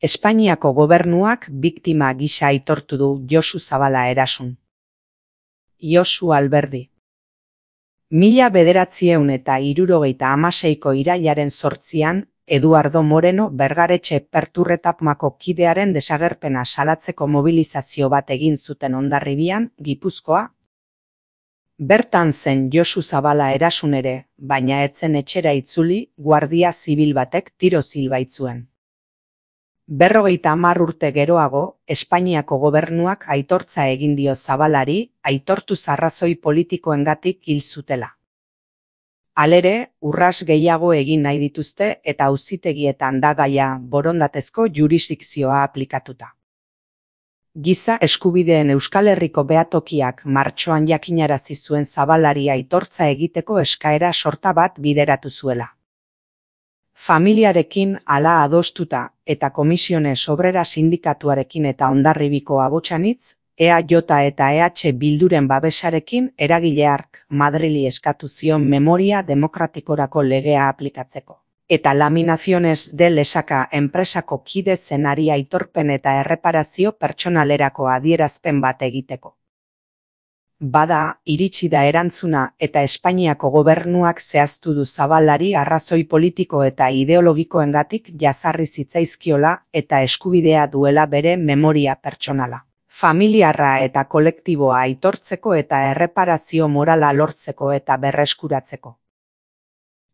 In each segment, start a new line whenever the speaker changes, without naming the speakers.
Espainiako gobernuak biktima gisa aitortu du Josu Zabala erasun. Josu Alberdi. 1976ko irailaren 8an, Eduardo Moreno Bergaretxe Perturretapmako kidearen desagerpena salatzeko mobilizazio bat egin zuten Hondarribian, Gipuzkoa. Bertan zen Josu Zabala erasun ere, baina ez zen etxera itzuli, guardia zibil batek tiroz hil baitzuen. 50 urte geroago, Espainiako gobernuak aitortza egin dio Zabalari, aitortuz arrazoi politikoengatik hil zutela. Halere, urras gehiago egin nahi dituzte eta auzitegietan da gaia borondatezko jurisdikzioa aplikatuta. Giza eskubideen Euskal Herriko behatokiak martxoan jakinarazi zuen Zabalari aitortza egiteko eskaera sorta bat bideratu zuela. Familiarekin hala adostuta eta Komisiones Obrera Sindikatuarekin eta Hondarribiko Abotsanitz, EAJ eta EH Bilduren babesarekin eragile hark Madrili eskatu zion Memoria Demokratikorako legea aplikatzeko. Eta Laminaciones de Lesaka enpresako kide zenari aitorpen eta erreparazio pertsonalerako adierazpen bat egiteko. Bada, iritsi da erantzuna eta Espainiako gobernuak zehaztu du Zabalari arrazoi politiko eta ideologikoengatik jazarri zitzaizkiola eta eskubidea duela bere memoria pertsonala, familiarra eta kolektiboa aitortzeko eta erreparazio morala lortzeko eta berreskuratzeko.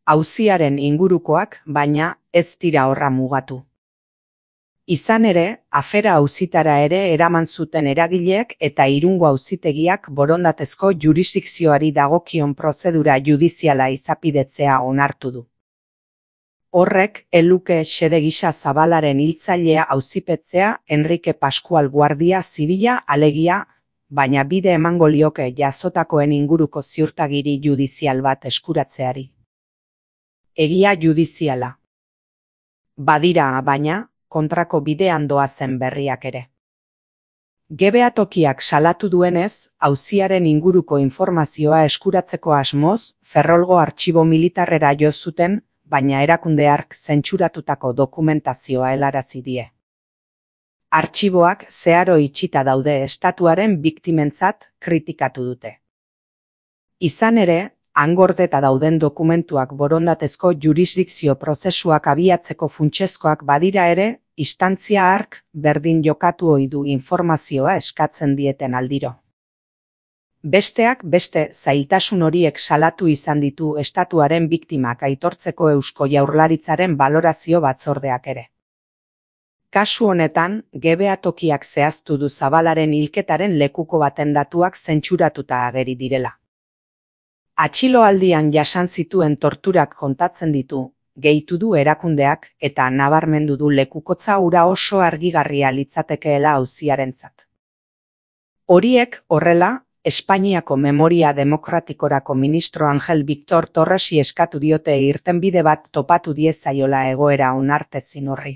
Auziaren ingurukoak, baina, ez dira horra mugatu. Izan ere, afera auzitara ere eraman zuten eragileek eta Irungo auzitegiak borondatezko jurisdikzioari dagokion prozedura judiziala izapidetzea onartu du. Horrek, eluke xede gisa Zabalaren hiltzailea auzipetzea Enrique Pascual Guardia Zibila alegia, baina bide emango lioke jazotakoen inguruko ziurtagiri judizial bat eskuratzeari. Egia judiziala. Badira, baina, kontrako bidean doazen berriak ere. Behatokiak salatu duenez, auziaren inguruko informazioa eskuratzeko asmoz, Ferrolgo artxibo militarrera jo zuten, baina erakunde hark zentsuratutako dokumentazioa helarazi die. Artxiboak zeharo itxita daude estatuaren biktimentzat kritikatu dute. Izan ere, angordeta dauden dokumentuak borondatezko jurisdikzio prozesuak abiatzeko funtsezkoak badira ere, instantzia hark berdin jokatu ohi du informazioa eskatzen dieten aldiro. Besteak beste zailtasun horiek salatu izan ditu estatuaren biktimak aitortzeko Eusko Jaurlaritzaren balorazio batzordeak ere. Kasu honetan, behatokiak zehaztu du Zabalaren hilketaren lekuko baten datuak zentsuratuta ageri direla. Atxiloaldian jasan zituen torturak kontatzen ditu, gehitu du erakundeak eta nabarmendu du lekukotza hura oso argigarria litzatekeela auziarentzat. Horiek horrela, Espainiako Memoria Demokratikorako ministro Angel Victor Torresi eskatu diote irtenbide bat topatu diezaiola egoera onartezin horri.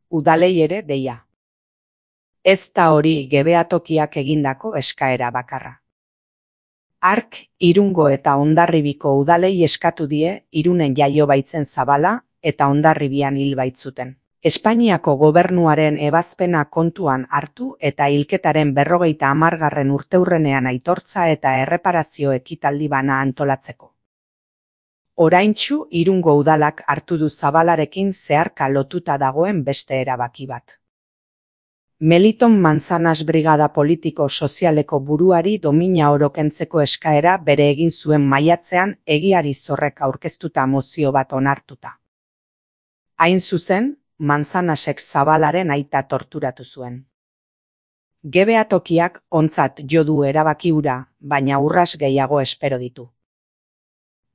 Udalei ere deia. Ez da hori behatokiak egindako eskaera bakarra. Hark, Irungo eta Hondarribiko udalei eskatu die Irunen jaio baitzen Zabala eta Hondarribian hil baitzuten. Espainiako gobernuaren ebazpena kontuan hartu eta hilketaren 50. urteurrenean aitortza eta erreparazio ekitaldi bana antolatzeko. Oraintsu Irungo udalak hartu du Zabalarekin zeharka lotuta dagoen beste erabaki bat. Meliton Manzanas brigada politiko sozialeko buruari domina orokentzeko eskaera bere egin zuen maiatzean egiari zorrek aurkeztuta mozio bat onartuta. Hain zuzen, Manzanasek Zabalaren aita torturatu zuen. Behatokiak ontzat jo du erabaki hura, baina urras gehiago espero ditu.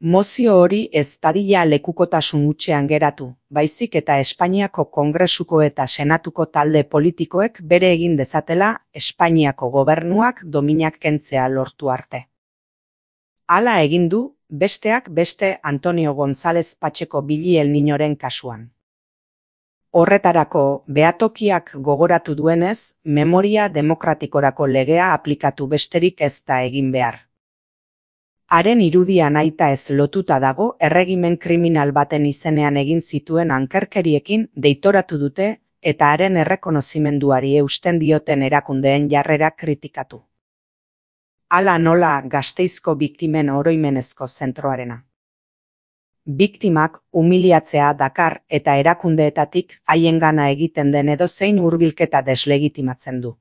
Mozio hori ez dadila lekukotasun hutsean geratu, baizik eta Espainiako Kongresuko eta Senatuko talde politikoek bere egin dezatela Espainiako gobernuak dominak kentzea lortu arte. Hala egin du, besteak beste Antonio González Pacheco Billy Niñoren kasuan. Horretarako, behatokiak gogoratu duenez, Memoria Demokratikorako legea aplikatu besterik ez da egin behar. Haren irudia nahita ez lotuta dago erregimen kriminal baten izenean egin zituen ankerkeriekin deitoratu dute eta haren errekonozimenduari eusten dioten erakundeen jarrera kritikatu. Hala nola Gasteizko biktimen oroimenezko zentroarena. Biktimak umiliatzea dakar eta erakundeetatik haiengana egiten den edozein hurbilketa deslegitimatzen du.